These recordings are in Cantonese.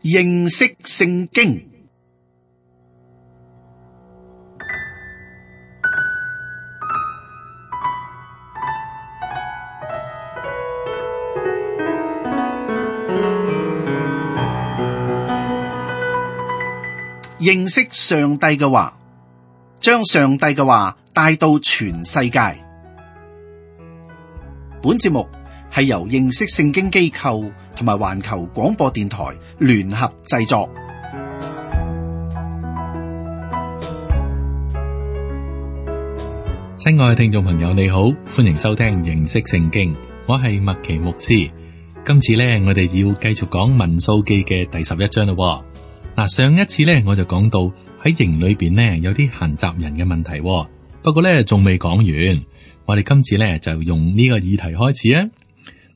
認識聖經。認識上帝嘅話，將上帝嘅話帶到全世界。本節目係由認識聖經機構同埋環球廣播電台聯合製作。親愛嘅聽眾朋友，你好，歡迎收聽認識聖經，我係麥奇牧師。今次呢，我哋要繼續講民數記嘅第11章咯。嗱，上一次呢，我就講到喺營裏邊呢，有啲閒雜人嘅問題，不過呢，仲未講完。我哋今次呢，就用呢個議題開始啊。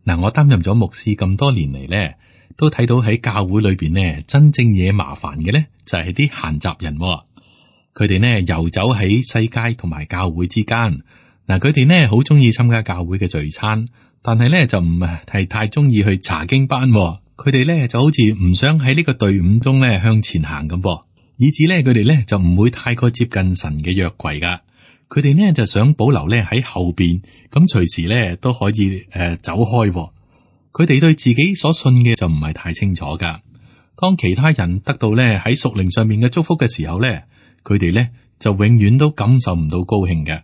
嗱，我擔任咗牧師咁多年嚟呢，都睇到喺教會裏邊呢，真正惹麻煩嘅呢，就係啲閒雜人。佢哋呢遊走喺世界同埋教會之間。嗱，佢哋呢好中意參加教會嘅聚餐，但係呢就唔係太中意去查經班。佢哋咧就好似唔想喺呢個隊伍中咧向前行咁噃，以至咧佢哋咧就唔會太過接近神嘅約櫃噶。佢哋呢就想保留咧喺後邊，咁隨時咧都可以走開。佢哋對自己所信嘅就唔係太清楚噶。當其他人得到咧喺屬靈上面嘅祝福嘅時候咧，佢哋咧就永遠都感受唔到高興嘅。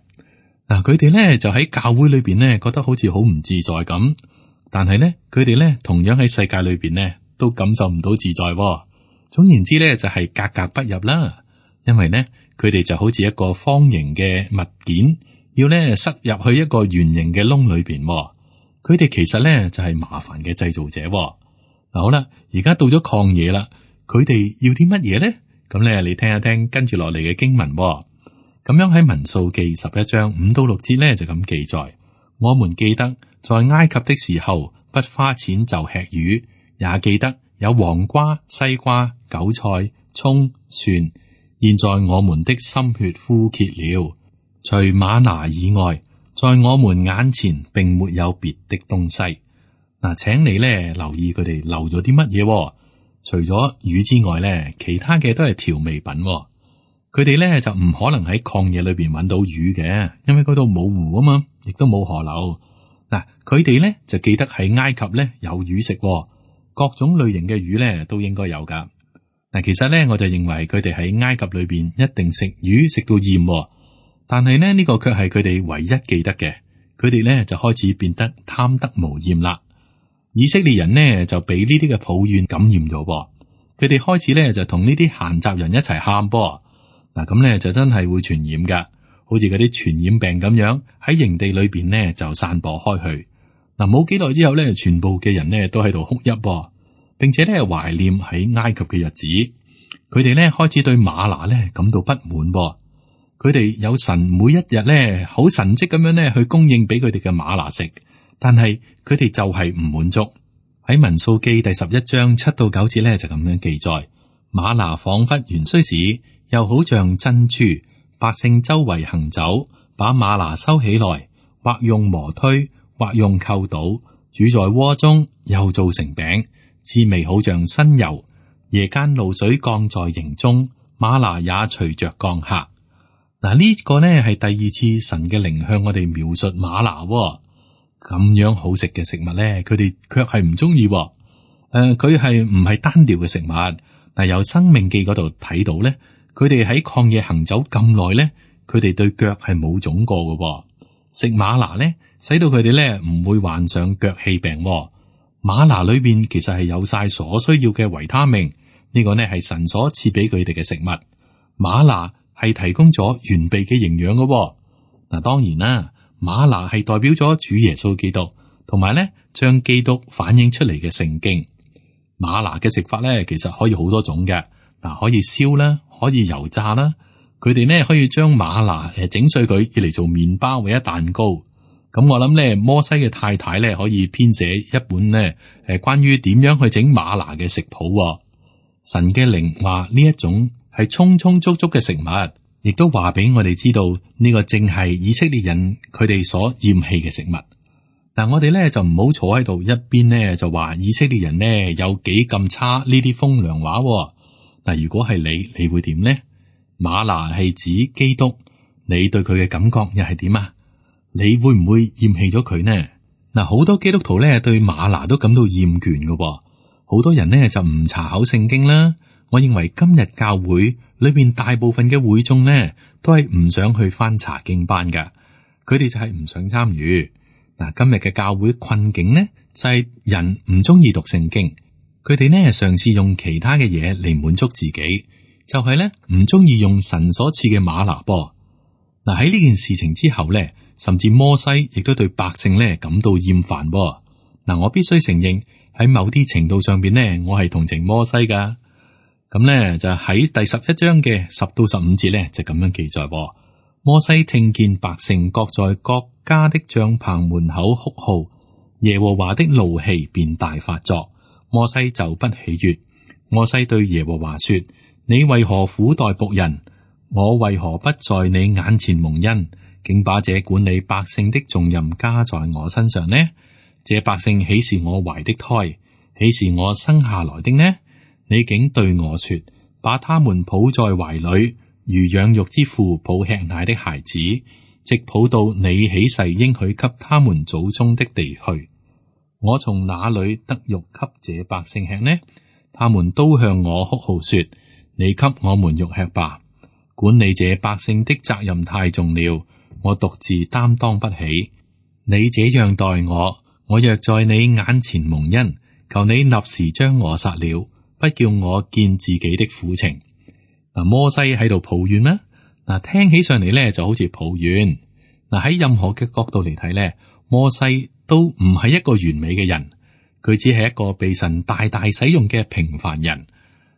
嗱，佢哋咧就喺教會裏邊咧覺得好似好唔自在咁。但係咧，佢哋咧同樣喺世界裏邊咧都感受唔到自在。總言之咧，就係格格不入啦。因為咧，佢哋就好似一個方形嘅物件，要咧塞入去一個圓形嘅窿裏邊。佢哋其實咧就係麻煩嘅製造者。嗱，好啦，而家到咗曠野啦，佢哋要啲乜嘢咧？咁咧，你聽一聽跟住落嚟嘅經文。咁樣喺民數記11章5到6節咧就咁記載：我們記得。在埃及的時候，不花錢就吃魚，也記得有黃瓜、西瓜、韭菜、蔥、蒜。現在我們的心血枯竭了，除嗎哪以外，在我們眼前並沒有別的東西。嗱，請你咧留意佢哋留咗啲乜嘢？除咗魚之外咧，其他嘅都係調味品。佢哋咧就唔可能喺曠野裏邊揾到魚嘅，因為嗰度冇湖啊嘛，亦都冇河流。嗱，佢哋咧就記得喺埃及咧有魚食，各種類型嘅魚咧都應該有噶。嗱，其實咧我就認為佢哋喺埃及裏邊一定食魚食到厭，但係呢個卻係佢哋唯一記得嘅。佢哋咧就開始變得貪得無厭啦。以色列人呢就俾呢啲嘅抱怨感染咗，佢哋開始咧就同呢啲閒雜人一齊喊噃。嗱，咁咧就真係會傳染噶。好似嗰啲傳染病咁樣喺營地裏邊呢就散播開去。嗱，冇幾耐之後呢，全部嘅人呢都喺度哭泣，並且呢懷念喺埃及嘅日子。佢哋呢開始對嗎哪呢感到不滿。佢哋有神每一日呢好神蹟咁樣呢去供應俾佢哋嘅嗎哪食，但係佢哋就係唔滿足。喺民數記第11章7到9節呢就咁樣記載：嗎哪仿佛芫荽子，又好像珍珠。百姓周圍行走，把嗎哪收起來，或用磨推，或用扣倒，煮在鍋中，又做成餅，滋味好像新油。夜間露水降在營中，嗎哪也隨着降下。嗱，呢個呢係第二次神嘅靈向我哋描述嗎哪咁樣好食嘅食物呢，佢哋卻係唔中意。佢係唔係單調嘅食物？嗱，由申命記嗰度睇到呢。佢哋喺曠野行走咁耐咧，佢哋對腳係冇腫過嘅。食嗎哪咧，使到佢哋咧唔會患上腳氣病。嗎哪裏邊其實係有晒所需要嘅維他命，呢個呢係神所賜俾佢哋嘅食物。嗎哪係提供咗完備嘅營養嘅。嗱，當然啦，嗎哪係代表咗主耶穌基督，同埋咧將基督反映出嚟嘅聖經。嗎哪嘅食法咧，其實可以好多種嘅。嗱，可以燒啦，可以油炸啦。佢哋呢可以將嗎哪整碎佢，要嚟做麵包或者蛋糕。咁我諗呢，摩西嘅太太呢可以編寫一本呢關於點樣去整嗎哪嘅食譜。神嘅靈話呢一種係充充足足嘅食物，亦都話俾我哋知道呢個正係以色列人佢哋所厭棄嘅食物。嗱，我哋咧就唔好坐喺度一邊咧就話以色列人呢有幾咁差呢啲風涼話。嗱，如果係你會點呢？嗎哪係指基督，你對佢嘅感覺又係點啊？你會唔會厭棄咗佢呢？嗱，好多基督徒咧對嗎哪都感到厭倦嘅，好多人呢就唔查考聖經啦。我認為今日教會裏邊大部分嘅會眾呢都係唔想去翻查經班噶，佢哋就係唔想參與。嗱，今日嘅教會困境呢就係人唔中意讀聖經，佢哋呢嘗試用其他嘅嘢嚟滿足自己，就係咧唔中意用神所賜嘅嗎哪噃。嗱，喺呢件事情之後咧，甚至摩西亦都對百姓咧感到厭煩噃。嗱，我必須承認喺某啲程度上邊呢，我係同情摩西噶。咁咧就喺第11章嘅10到15節咧就咁樣記載。摩西聽見百姓各在各家的帳棚門口哭號，耶和華的怒氣便大發作，摩西就不喜悅。摩西對耶和華說：你為何苦待僕人？我為何不在你眼前蒙恩，竟把這管理百姓的重任加在我身上呢？這百姓豈是我懷的胎，豈是我生下來的呢？你竟對我說，把他們抱在懷裏，如養育之父抱吃奶的孩子，直抱到你起誓應許給他們祖宗的地去。我從哪裏得肉給這百姓吃呢？他們都向我哭號說：你給我們肉吃吧！管理這百姓的責任太重了，我獨自擔當不起。你這樣待我，我若在你眼前蒙恩，求你立時將我殺了，不叫我見自己的苦情。嗱，摩西喺度抱怨啦。嗱，聽起上嚟咧就好似抱怨。嗱，喺任何嘅角度嚟睇咧，摩西都唔係一個完美嘅人，佢只係一個被神大大使用嘅平凡人。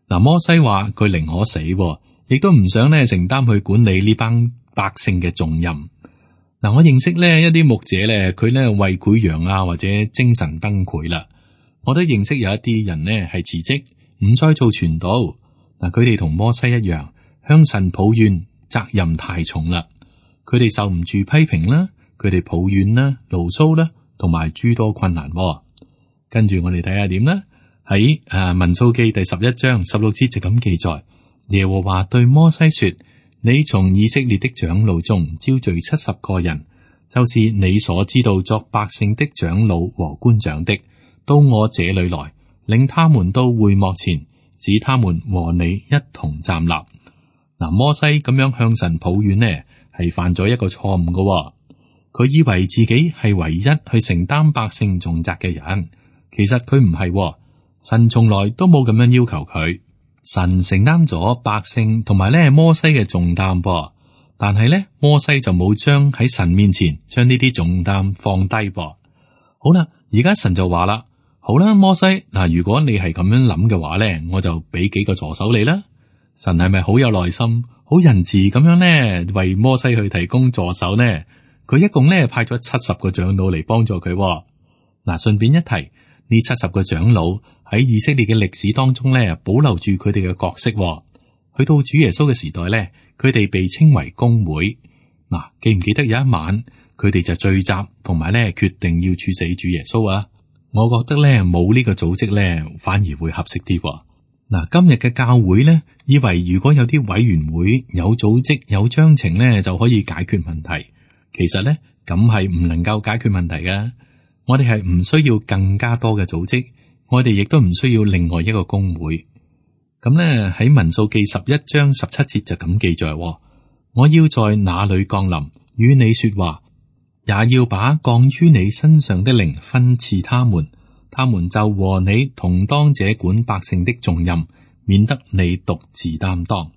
嗱，摩西話佢寧可死，亦都唔想咧承擔去管理呢班百姓嘅重任。嗱，我認識咧一啲牧者咧，佢咧胃潰瘍啊，或者精神崩潰啦。我都認識有一啲人咧係辭職，唔再做傳道。嗱，佢哋同摩西一樣，向神抱怨責任太重啦。佢哋受唔住批評啦，佢哋抱怨啦、牢騷啦，同埋諸多困難。跟住我哋睇下點啦。喺民數記第11章16節就咁記載：耶和華對摩西說，你從以色列的長老中招聚70個人，就是你所知道作百姓的長老和官長的，到我這裏來，領他們到會幕前，使他們和你一同站立。嗱，摩西咁樣向神抱怨呢，係犯咗一個錯誤嘅。佢以為自己係唯一去承擔百姓重責嘅人，其實佢唔係。神從來都冇咁樣要求佢。神承擔咗百姓同埋咧摩西嘅重擔噃，但係咧摩西就冇將喺神面前將呢啲重擔放低噃。好啦，而家神就話啦：好啦，摩西，嗱，如果你係咁樣諗嘅話咧，我就俾幾個助手你啦。神係咪好有耐心、好仁慈咁樣咧，為摩西去提供助手呢？佢一共咧派咗70個長老嚟幫助佢。嗱，順便一提，呢70個長老喺以色列嘅歷史當中咧，保留住佢哋嘅角色。去到主耶穌嘅時代咧，佢哋被稱為公會。嗱，記唔記得有一晚佢哋就聚集，同埋咧決定要處死主耶穌啊？我覺得咧冇呢個組織咧，反而會合適啲。嗱，今日嘅教會咧，以為如果有啲委員會、有組織、有章程咧，就可以解決問題。其實咧，咁係唔能夠解決問題㗎。我哋係唔需要更加多嘅組織。我哋亦都唔需要另外一個公會。咁咧喺民數記11章17節就咁記載：我要在那裏降臨，與你說話，也要把降於你身上的靈分賜他們，他們就和你同當這管百姓的重任，免得你獨自擔當。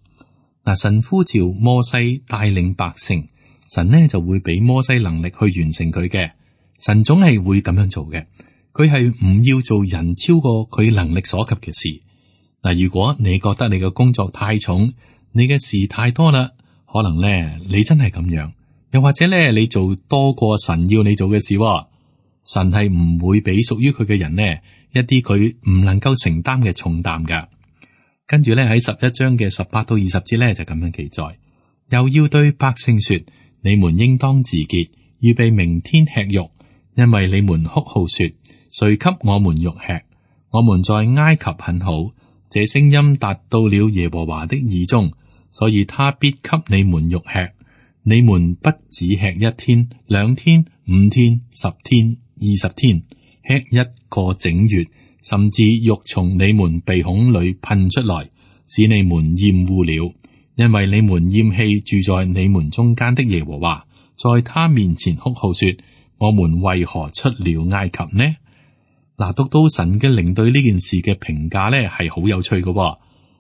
嗱，神呼召摩西帶領百姓，神呢就會俾摩西能力去完成佢嘅。神總係會咁樣做嘅。佢係唔要做人超過佢能力所及嘅事。嗱，如果你覺得你嘅工作太重，你嘅事太多啦，可能咧你真係咁樣，又或者咧你做多過神要你做嘅事。神係唔會俾屬於佢嘅人呢一啲佢唔能夠承擔嘅重擔噶。跟住咧喺11章嘅18到20節咧就咁樣記載，又要對百姓說：你們應當自潔，預備明天吃肉。因為你們哭號說，誰給我們肉吃？我們在埃及很好。這聲音達到了耶和華的耳中，所以他必給你們肉吃。你們不只吃1天、2天、5天、10天、20天，吃1個整月，甚至肉從你們鼻孔裏噴出來，使你們厭惡了。因為你們厭棄住在你們中間的耶和華，在他面前哭號說：我們為何出了埃及呢？嗱，讀到神嘅靈對呢件事嘅評價呢，係好有趣嘅。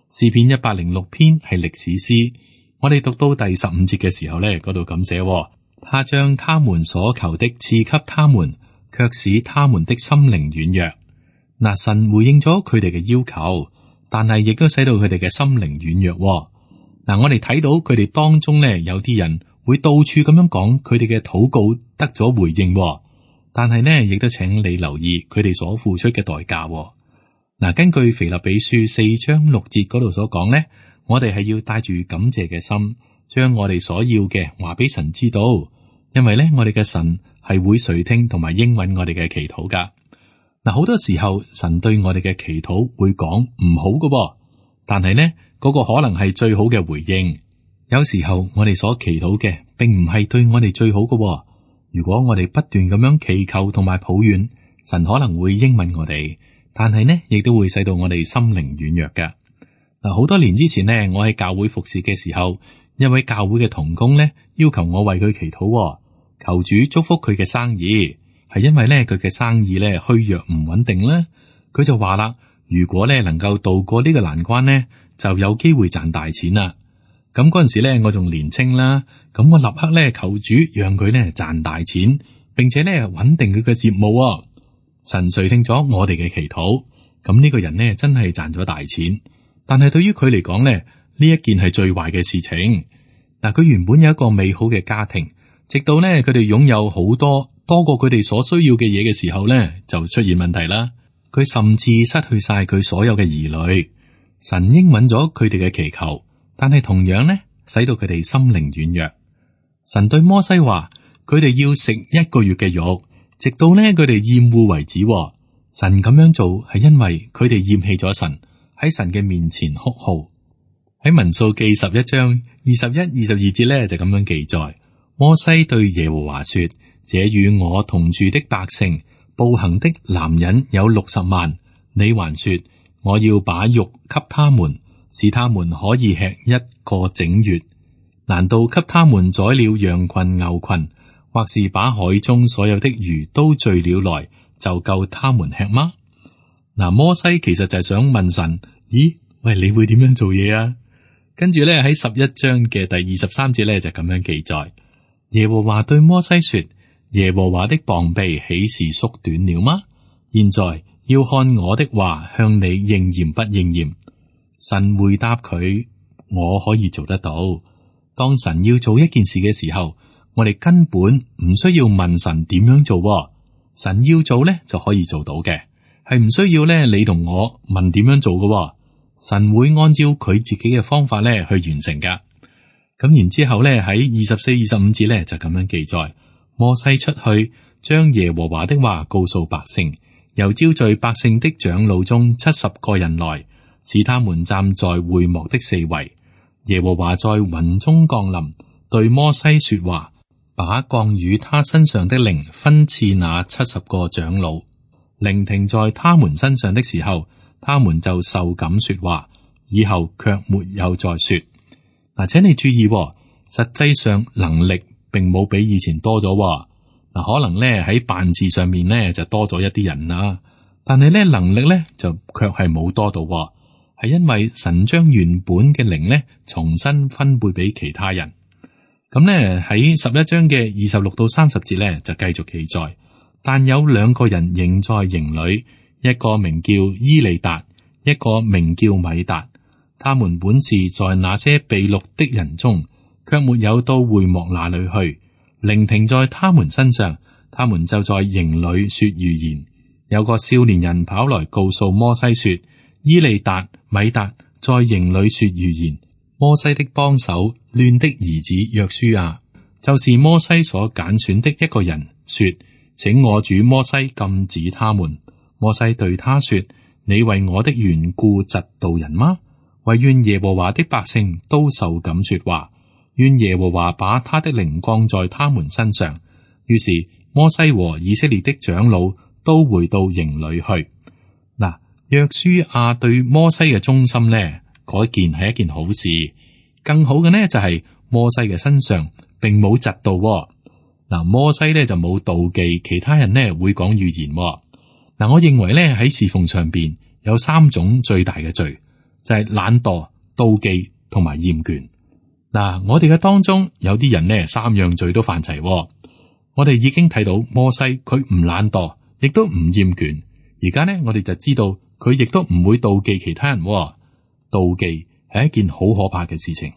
詩篇106篇係歷史詩，我哋讀到第15節嘅時候呢，嗰度咁寫：他將他們所求的賜給他們，卻使他們的心靈軟弱。嗱，神回應咗佢哋嘅要求，但係亦都使到佢哋嘅心靈軟弱。嗱，我哋睇到佢哋當中呢，有啲人會到處咁樣講佢哋嘅禱告得咗回應。但係呢，亦都請你留意佢哋所付出嘅代價。嗱，根據腓立比書4章6節嗰度所講呢，我哋係要帶住感謝嘅心，將我哋所要嘅話俾神知道，因為呢，我哋嘅神係會垂聽同埋應允我哋嘅祈禱噶。嗱，好多時候神對我哋嘅祈禱會講唔好嘅，但係呢，嗰個可能係最好嘅回應。有時候我哋所祈禱嘅並唔係對我哋最好嘅。如果我哋不斷咁樣祈求同埋抱怨，神可能會應允我哋，但係呢，亦都會使到我哋心靈軟弱嘅。嗱，好多年之前呢，我喺教會服侍嘅時候，一位教會嘅同工呢，要求我為佢祈禱，求主祝福佢嘅生意，係因為呢，佢嘅生意呢虛弱唔穩定啦。佢就話啦，如果呢能夠渡過呢個難關呢，就有機會賺大錢啦。咁嗰陣時咧，我仲年青啦，咁我立刻咧求主讓佢咧賺大錢，並且咧穩定佢嘅業務。神垂聽咗我哋嘅祈禱，咁呢個人呢真係賺咗大錢。但係對於佢嚟講咧，呢一件係最壞嘅事情。嗱，佢原本有一個美好嘅家庭，直到咧佢哋擁有好多過佢哋所需要嘅嘢嘅時候咧，就出現問題啦。佢甚至失去晒佢所有嘅兒女。神應允咗佢哋嘅祈求。但係同樣呢，使到佢哋心靈軟弱。神對摩西話：佢哋要食1個月嘅肉，直到呢佢哋厭惡為止。神咁樣做係因為佢哋厭棄咗神，喺神嘅面前哭號。喺民數記11章21、22節呢，就咁樣記載：摩西對耶和華說：這與我同住的百姓，步行的男人有60萬，你還說我要把肉給他們，使他們可以吃1個整月？難道給他們宰了羊群牛群，或是把海中所有的魚都聚了來，就夠他們吃嗎？嗱，摩西其實就係想問神：咦，喂，你會點樣做嘢啊？跟住咧喺11章嘅第23節咧就咁樣記載：耶和華對摩西說：耶和華的膀臂豈是縮短了嗎？現在要看我的話向你應驗不應驗。神回答佢：我可以做得到。當神要做一件事嘅時候，我哋根本唔需要問神點樣做，神要做咧就可以做到嘅，係唔需要咧你同我問點樣做嘅。神會按照佢自己嘅方法咧去完成噶。咁然之後咧喺24、25節咧就咁樣記載：摩西出去將耶和華的話告訴百姓，又召聚百姓的長老中70個人來，使他們站在會幕的四圍。耶和華在雲中降臨，對摩西說話，把降與他身上的靈分賜那70個長老。靈停在他們身上的時候，他們就受感說話，以後卻沒有再說。嗱，請你注意，實際上能力並冇比以前多咗。嗱，可能咧喺辦事上面咧就多咗一啲人啦，但係咧能力咧就卻係冇多到。係因為神將原本嘅靈咧重新分配俾其他人。咁咧喺11章嘅26到30節咧就繼續記載，但有2個人仍在營裏，一個名叫伊利達，一個名叫米達。他們本是在那些被擄的人中，卻沒有到會幕那裏去。靈停在他們身上，他們就在營裏說預言。有個少年人跑來告訴摩西說：伊利達、米達在營裏說預言。摩西的幫手嫩的兒子約書亞，就是摩西所揀選的一個人，說：請我主摩西禁止他們。摩西對他說：你為我的緣故嫉妒人嗎？惟願耶和華的百姓都受感說話，願耶和華把他的靈降在他們身上。於是摩西和以色列的長老都回到營裏去。嗱，約書亞對摩西嘅忠心呢，嗰件係一件好事。更好嘅呢，就係摩西嘅身上並冇嫉妒。嗱，摩西呢就冇妒忌其他人呢會講預言。嗱，我認為呢喺侍奉上邊有三種最大嘅罪，就係懶惰、妒忌同埋厭倦。嗱，我哋嘅當中有啲人呢，三樣罪都犯齊。我哋已經睇到摩西佢唔懶惰，亦都唔厭倦。而家呢，我哋就知道佢亦都唔會妒忌其他人。妒忌係一件好可怕嘅事情。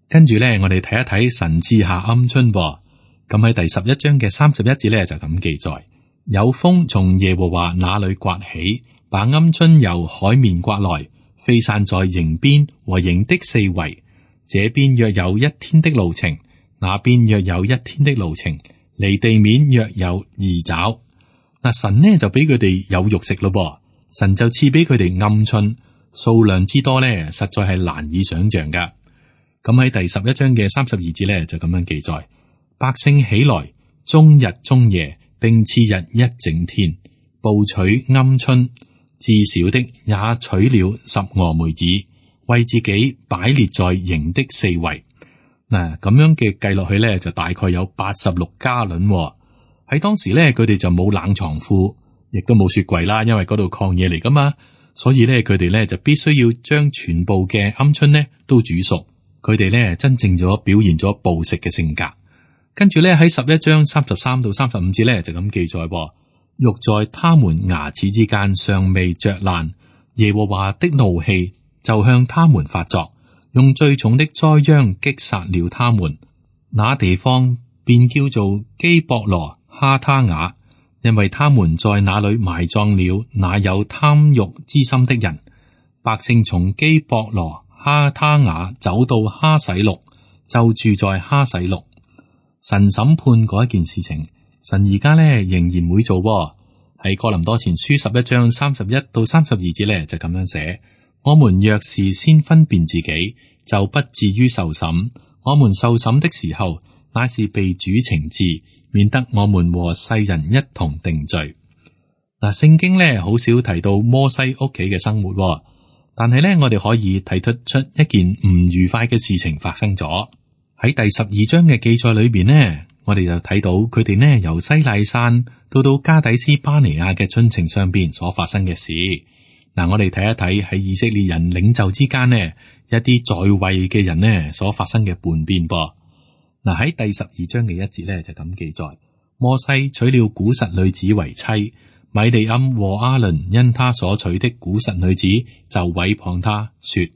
跟住呢，我哋睇一睇神賜下鵪鶉。咁喺第11章嘅31節呢，就咁記載：有風從耶和華那裏刮起，把鵪鶉由海面刮來，飛散在營邊和營的四圍。這邊約有1天的路程，那邊約有1天的路程，離地面約有2肘。嗱，神呢就俾佢哋有肉食咯，神就賜俾佢哋鵪鶉，數量之多呢，實在係難以想象噶。咁喺第11章嘅32節呢，就咁樣記載：百姓起來，終日終夜，並次日一整天，捕取鵪鶉，至少的也取了10蛾梅子，為自己擺列在營的四圍。嗱，咁樣嘅計落去咧，就大概有86加侖。喺當時咧，佢哋就冇冷藏庫，亦都冇雪櫃啦，因為嗰度曠野嚟噶嘛，所以咧，佢哋咧就必須要將全部嘅鵪鶉咧都煮熟。佢哋咧真正咗表現咗暴食嘅性格。跟住咧喺11章33到35節咧就咁記載：肉在他們牙齒之間尚未嚼爛，耶和華的怒氣就向他們發作，用最重的災殃擊殺了他們。那地方便叫做基博羅哈他雅，因為他們在那裏埋葬了那有貪欲之心的人。百姓從基博羅哈他雅走到哈洗錄，就住在哈洗錄。神審判嗰一件事情，神而家咧仍然會做。喺哥林多前書11章31到32節咧就咁樣寫：我們若是先分辨自己，就不至於受審。我們受審的時候，乃是被主懲治，免得我們和世人一同定罪。嗱，聖經咧好少提到摩西屋企嘅生活，但係咧我哋可以睇得出一件唔愉快嘅事情發生咗。喺第12章嘅記載裏邊呢，我哋就睇到佢哋呢由西奈山到加底斯巴尼亞嘅進程上邊所發生嘅事。嗱，我哋睇一睇喺以色列人領袖之間呢一啲在位嘅人呢所發生嘅叛變噃。嗱，喺第12章嘅1節呢就咁記載：摩西娶了古實女子為妻，米利暗和亞倫因他所娶的古實女子就毀謗他說。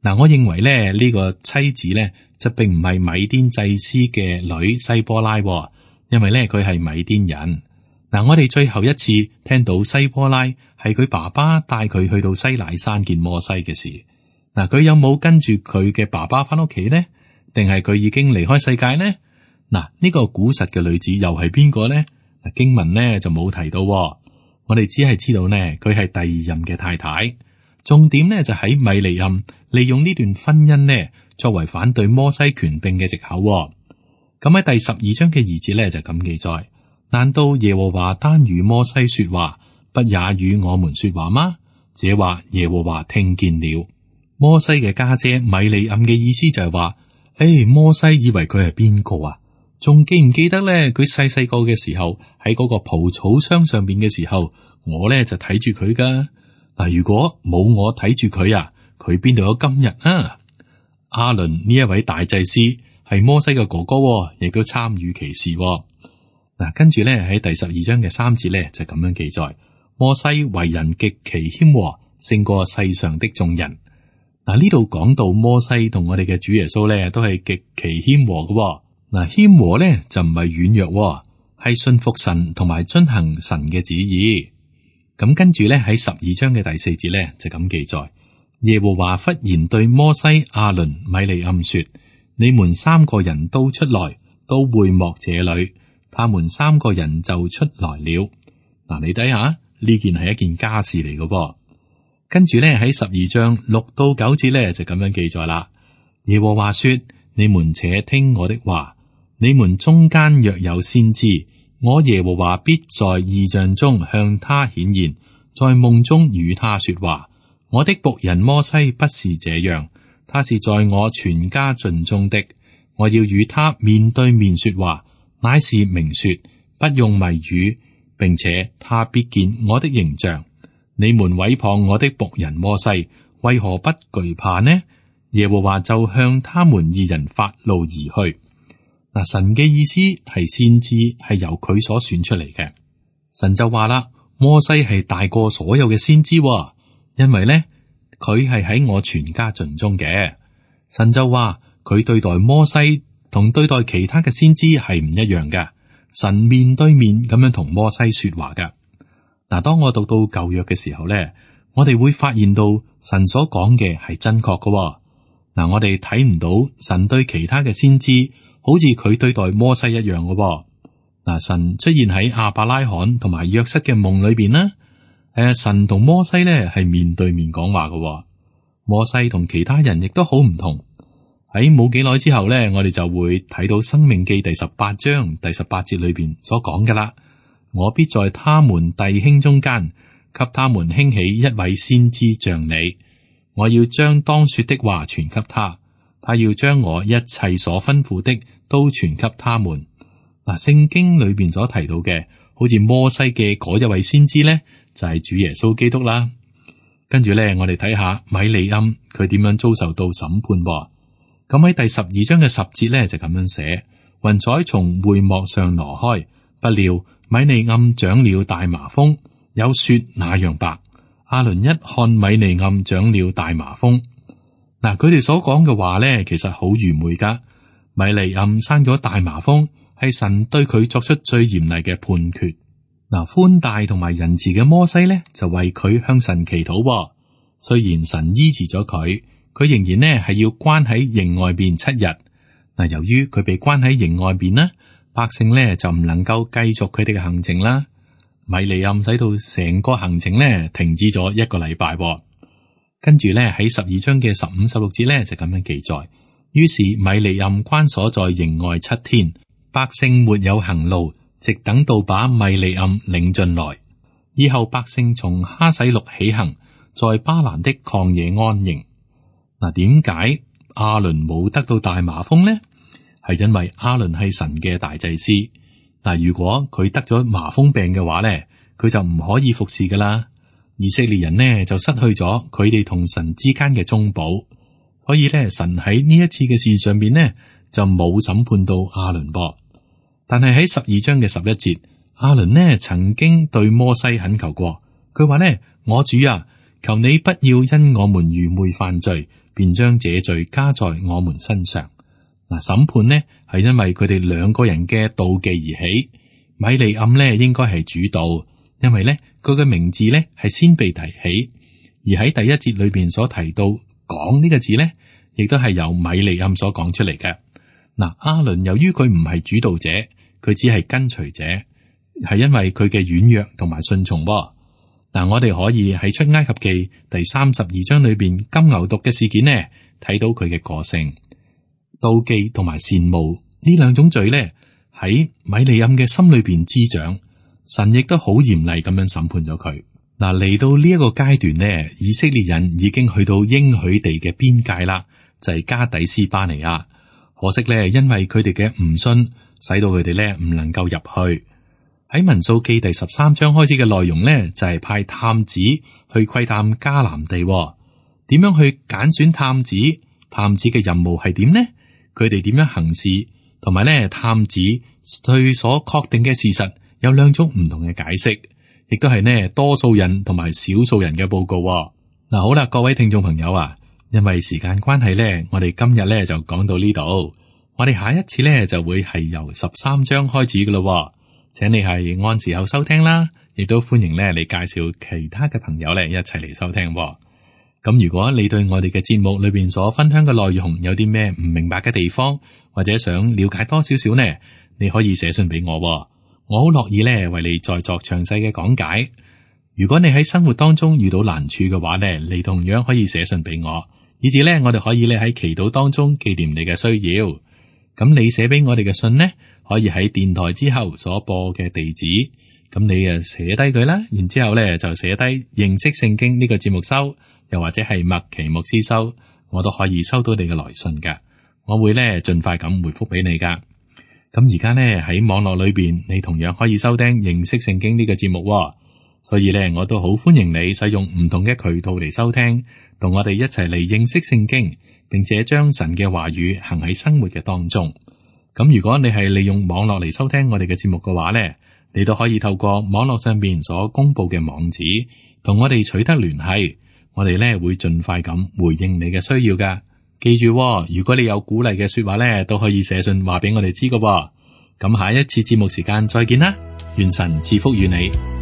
嗱，我認為咧呢個妻子呢就並唔係米甸祭司嘅女西波拉，因為咧佢係米甸人。嗱，我哋最後一次聽到西波拉係佢爸爸帶佢去到西乃山見摩西嘅事。嗱，佢有冇跟住佢嘅爸爸翻屋企呢？定係佢已經離開世界呢？嗱，呢個古實嘅女子又係邊個呢？嗱，經文呢就冇提到，我哋只係知道呢佢係第二任嘅太太。重點呢就喺米利暗利用呢段婚姻呢作為反對摩西權柄嘅藉口。咁喺第12章嘅2節呢就咁記載：難道耶和華單與摩西說話，不也與我們說話嗎？這話耶和華聽見了。摩西嘅家姐米利暗嘅意思就係話：摩西以為佢係邊個啊？仲記唔記得咧？佢細細個嘅時候喺嗰個蒲草箱上邊嘅時候，我咧就睇住佢噶。嗱，如果冇我睇住佢啊，佢邊度有今日啊？亞倫呢一位大祭司係摩西嘅哥哥，亦都參與其事。嗱，跟住咧喺第12章嘅3節咧就咁樣記載：摩西為人極其謙和，勝過世上的眾人。嗱，呢度講到摩西同我哋嘅主耶穌咧都係極其謙和嘅。嗱，謙和咧就唔係軟弱，係信服神同埋遵行神嘅旨意。咁跟住咧喺12章嘅第4節咧就咁記載：耶和華忽然對摩西、亞倫、米利暗說：你們3個人都出來，到會幕這裏，他們3個人就出來了。嗱，你睇下呢件係一件家事嚟嘅噃。跟住咧喺12章6到9節咧就咁樣記載啦。耶和華說：你們且聽我的話，你們中間若有先知，我耶和華必在異象中向他顯現，在夢中與他說話。我的僕人摩西不是這樣，他是在我全家盡中的。我要與他面對面說話，乃是明說，不用謎語，並且他必見我的形象。你們毀謗我的僕人摩西，為何不懼怕呢？耶和華就向他們2人發怒而去。嗱，神嘅意思係先知係由佢所選出嚟嘅。神就話啦，摩西係大過所有嘅先知，因為咧佢係喺我全家盡中嘅。神就話佢對待摩西同對待其他嘅先知係唔一樣嘅。神面對面咁樣同摩西說話噶。嗱，當我讀到舊約嘅時候咧，我哋會發現到神所講嘅係真確嘅。嗱，我哋睇唔到神對其他嘅先知好似佢對待摩西一樣嘅。嗱，神出現喺亞伯拉罕同埋約瑟嘅夢裏邊啦。神同摩西咧係面對面講話嘅。摩西同其他人亦都好唔同。喺冇幾耐之後咧，我哋就會睇到《申命記》第18章第18節裏邊所講嘅啦。我必在他們弟兄中間，給他們興起一位先知像你。我要將當說的話傳給他，他要將我一切所吩咐的都傳給他們。嗱，聖經裏邊所提到嘅，好似摩西嘅嗰一位先知咧，就係主耶穌基督啦。跟住咧，我哋睇下米利暗佢點樣遭受到審判。咁喺第12章嘅10節咧就咁樣寫：雲彩從會幕上挪開，不料米利暗長了大麻風，有雪那樣白。亞倫一看米利暗長了大麻風，嗱，佢哋所講嘅話咧，其實好愚昧噶。米利暗生咗大麻風，係神對佢作出最嚴厲嘅判決。嗱，寬大同埋仁慈嘅摩西咧，就為佢向神祈禱。雖然神醫治咗佢，佢仍然呢係要關喺營外邊7日。嗱，由於佢被關喺營外邊呢，百姓呢就唔能夠繼續佢哋嘅行程啦。米利暗使到成個行程呢停止咗1個禮拜。跟住呢喺12章嘅15、16節呢就咁樣記載。於是米利暗關鎖在營外7天，百姓沒有行路，直等到把米利暗領進來。以後百姓從哈洗錄起行，在巴蘭的曠野安營。嗱，點解亞倫冇得到大麻風呢？係因為亞倫係神嘅大祭司。嗱，如果佢得咗麻風病嘅話咧，佢就唔可以服侍噶啦。以色列人呢就失去咗佢哋同神之間嘅中保，所以咧神喺呢一次嘅事上邊呢就冇審判到亞倫噃。但係喺12章嘅11節，亞倫呢曾經對摩西懇求過，佢話呢：我主啊，求你不要因我們愚昧犯罪，便將這罪加在我們身上。嗱，審判呢係因為佢哋2個人嘅妒忌而起。米利暗呢應該係主導，因為呢佢嘅名字呢係先被提起，而喺第1節裏邊所提到講呢個字呢，亦都係由米利暗所講出嚟嘅。嗱，亞倫由於佢唔係主導者，佢只係跟隨者，係因為佢嘅軟弱同埋順從。嗱，我哋可以喺出埃及記第32章裏邊金牛犢嘅事件呢，睇到佢嘅個性。妒忌同埋羨慕呢2種罪呢，喺米利暗嘅心裏邊滋長，神亦都好嚴厲咁樣審判咗佢。嗱，嚟到呢一個階段呢，以色列人已經去到應許地嘅邊界啦，就係加底斯巴尼亞。可惜呢，因為佢哋嘅唔信，使到佢哋呢唔能夠入去。喺民數記第13章開始嘅內容呢，就係派探子去窺探迦南地。點樣去揀選探子？探子嘅任務係點呢？佢哋點樣行事？同埋呢，探子對所確定嘅事實有2種唔同嘅解釋，亦都係呢多數人同埋少數人嘅報告。嗱，好啦，各位聽眾朋友啊，因為時間關係呢，我哋今日呢就講到呢度。我哋下一次呢就會係由13章開始噶咯。請你係按時候收聽啦，亦都歡迎咧你介紹其他嘅朋友咧一齊嚟收聽。咁如果你對我哋嘅節目裏邊所分享嘅內容有啲咩唔明白嘅地方，或者想了解多少少呢，你可以寫信俾我喎，我好樂意咧為你再作詳細嘅講解。如果你喺生活當中遇到難處嘅話咧，你同樣可以寫信俾我，以至咧我哋可以咧喺祈禱當中紀念你嘅需要。咁你寫俾我哋嘅信呢，可以喺電台之後所播嘅地址，咁你啊寫低佢啦，然之後咧就寫低認識聖經呢個節目收，又或者係麥奇牧師收，我都可以收到你嘅來信噶，我會咧盡快咁回覆俾你噶。咁而家呢，喺網絡裏邊，你同樣可以收聽認識聖經呢個節目喎，所以咧我都好歡迎你使用唔同嘅渠道嚟收聽，同我哋一齊嚟認識聖經，並且將神嘅話語行喺生活嘅當中。咁如果你係利用網絡嚟收聽我哋嘅節目嘅話咧，你都可以透過網絡上邊所公布嘅網址，同我哋取得聯繫，我哋咧會盡快咁回應你嘅需要噶。記住喎，如果你有鼓勵嘅說話咧，都可以寫信話俾我哋知噶喎。咁下一次節目時間再見啦，願神賜福與你。